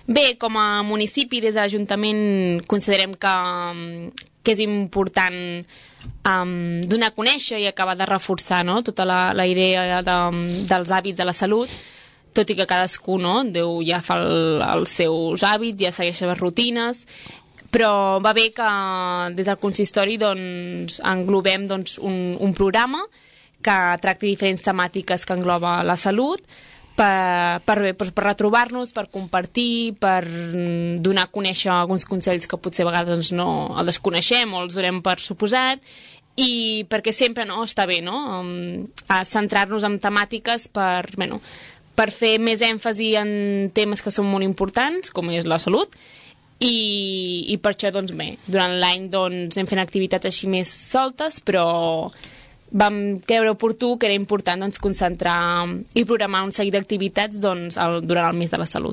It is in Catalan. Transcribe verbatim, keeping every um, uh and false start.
Bé, com a municipi, des de l'Ajuntament considerem que, que és important um, donar a conèixer i acabar de reforçar, no?, tota la, la idea de, dels hàbits de la salut, tot i que cadascú, no?, Déu ja fa el, els seus hàbits, ja segueix les rutines, però va bé que des del consistori doncs, englobem doncs, un, un programa que tracti diferents temàtiques que engloba la salut, per, per, per, per retrobar-nos, per compartir, per donar a conèixer alguns consells que potser a vegades doncs, no els desconeixem o els donem per suposat, i perquè sempre no, està bé, no?, um, a centrar-nos en temàtiques per, bueno, per fer més èmfasi en temes que són molt importants, com és la salut, i, i per això, doncs bé, durant l'any doncs, anem fent activitats així més soltes, però vam creure oportú que era important doncs, concentrar i programar un seguit d'activitats doncs, el, durant el mes de la salut.